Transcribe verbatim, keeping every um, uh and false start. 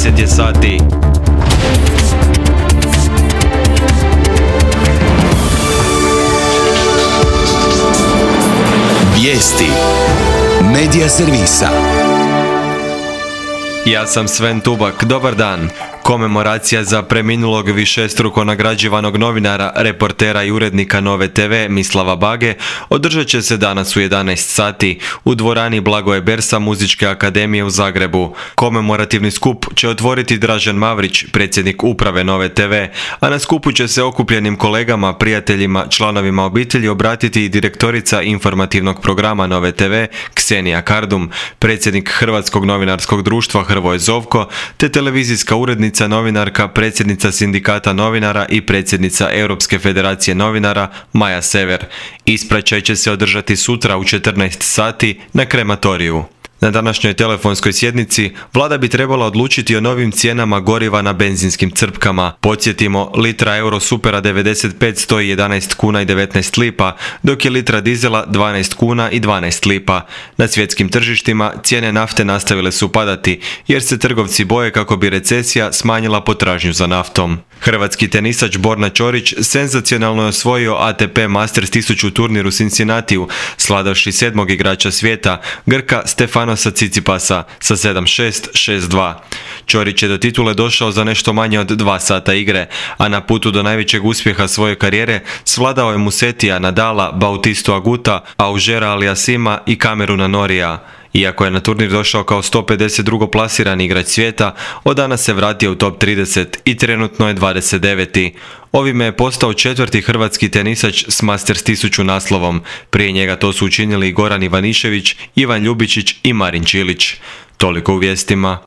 deset je sati. Vijesti Medija servisa. Ja sam Sven Tubak, dobar dan. Komemoracija za preminulog višestruko nagrađivanog novinara, reportera i urednika Nove te ve Mislava Bage održat će se danas u jedanaest sati u dvorani Blagoje Bersa Muzičke akademije u Zagrebu. Komemorativni skup će otvoriti Dražen Mavrić, predsjednik uprave Nove te ve, a na skupu će se okupljenim kolegama, prijateljima, članovima obitelji obratiti i direktorica informativnog programa Nove te ve Ksenija Kardum, predsjednik Hrvatskog novinarskog društva Hrvoje Zovko, te televizijska urednica, novinarka, predsjednica sindikata novinara i predsjednica Europske federacije novinara Maja Sever. Ispraćaj će se održati sutra u četrnaest sati na krematoriju. Na današnjoj telefonskoj sjednici vlada bi trebala odlučiti o novim cijenama goriva na benzinskim crpkama. Podsjetimo, litra Eurosupera devedeset pet stoji jedanaest kuna i devetnaest lipa, dok je litra dizela dvanaest kuna i dvanaest lipa. Na svjetskim tržištima cijene nafte nastavile su padati, jer se trgovci boje kako bi recesija smanjila potražnju za naftom. Hrvatski tenisač Borna Ćorić senzacionalno je osvojio A T P Masters tisuću turnir u Cincinnatiju, sladavši sedmog igrača svijeta, Grka Stefanosa Tsitsipasa sa sedam šest, šest dva. Ćorić je do titule došao za nešto manje od dva sata igre, a na putu do najvećeg uspjeha svoje karijere svladao je Musetija, Nadala, Bautistu Aguta, Augera Aliassima i Cameruna Norrija. Iako je na turnir došao kao sto pedeset drugi plasirani igrač svijeta, od danas se vratio u top trideset i trenutno je dvadeset deveti. Ovime je postao četvrti hrvatski tenisač s Masters tisuću naslovom. Prije njega to su učinili Goran Ivanišević, Ivan Ljubičić i Marin Čilić. Toliko u vijestima.